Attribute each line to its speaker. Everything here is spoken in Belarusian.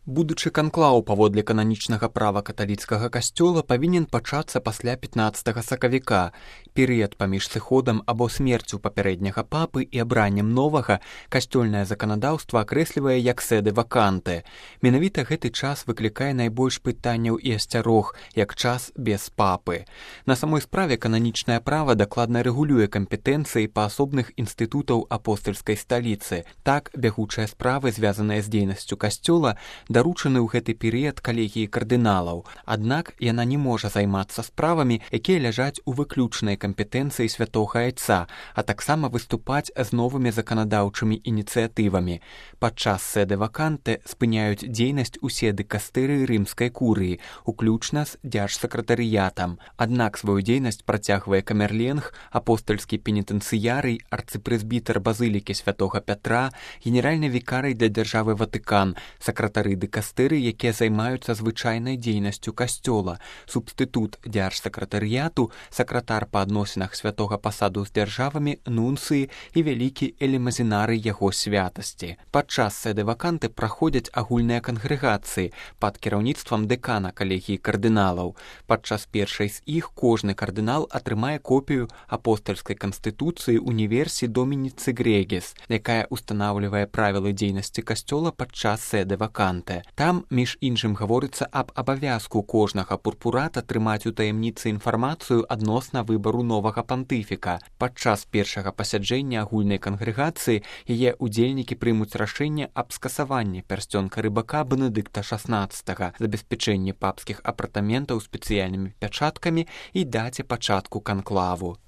Speaker 1: Будучы канклаў паводле кананічнага права каталіцкага касцёла павінен пачацца пасля 15 сакавіка. Перыяд паміж сыходам або смерцю папярэдняга папы і абраннем новага касцёльнае заканадаўства акрэслівае як сэды ваканты. Менавіта гэты час выклікае найбольш пытанняў і асцярог, як час без папы. На самой справе кананічнае права дакладна рэгулюе кампетэнцыі паасобных інстытутаў апостальскай сталіцы. Так, бягучыя справы, звязаныя з дзейнасцю касцёла, даручаны ў гэты перыяд калегіі кардыналаў. Аднак яна не можа займацца справамі, якія ляжаць у выключнай кампетэнцыі святога айца, а таксама выступаць з новымі заканадаўчымі ініцыятывамі. Падчас сэды ваканты спыняюць дзейнасць усе дыкастырыі рымскай курыі, уключна з дзяржсакратарыятам. Аднак сваю дзейнасць працягвае камерленг, апостальскі пенітэнцыярый, арцыпрэзбітар базылікі святога Пятра, генеральны вікарый для дзяржавы Ватыкан, сакратары дыкастыры, якія займаюцца звычайнай дзейнасцю касцёла, субстытут дзяржсакратарыяту, сакратар па адносінах святога пасаду з дзяржавамі, нунцыі і вялікі элемазінарый яго святасці. Падчас сэды ваканты праходзяць агульныя кангрэгацыі пад кіраўніцтвам дэкана калегіі кардыналаў. Падчас першай з іх кожны кардынал атрымае копію апостальскай канстытуцыі універсі Домініцы Грегіс, якая устанаўлівае правілы дзейнасці касцёла падчас сэды ваканты. Там, між іншым, гаворыцца аб абавязку кожнага пурпурата трымаць у таямніцы інфармацыю адносна выбару новага пантыфіка. Падчас першага пасяджэння агульнай кангрэгацыі яе удзельнікі прымуць рашэнне аб скасаванні пярсцёнка рыбака Бенедыкта XVI, забеспячэнні папскіх апартаментаў спецыяльнымі пячаткамі і даце пачатку канклаву.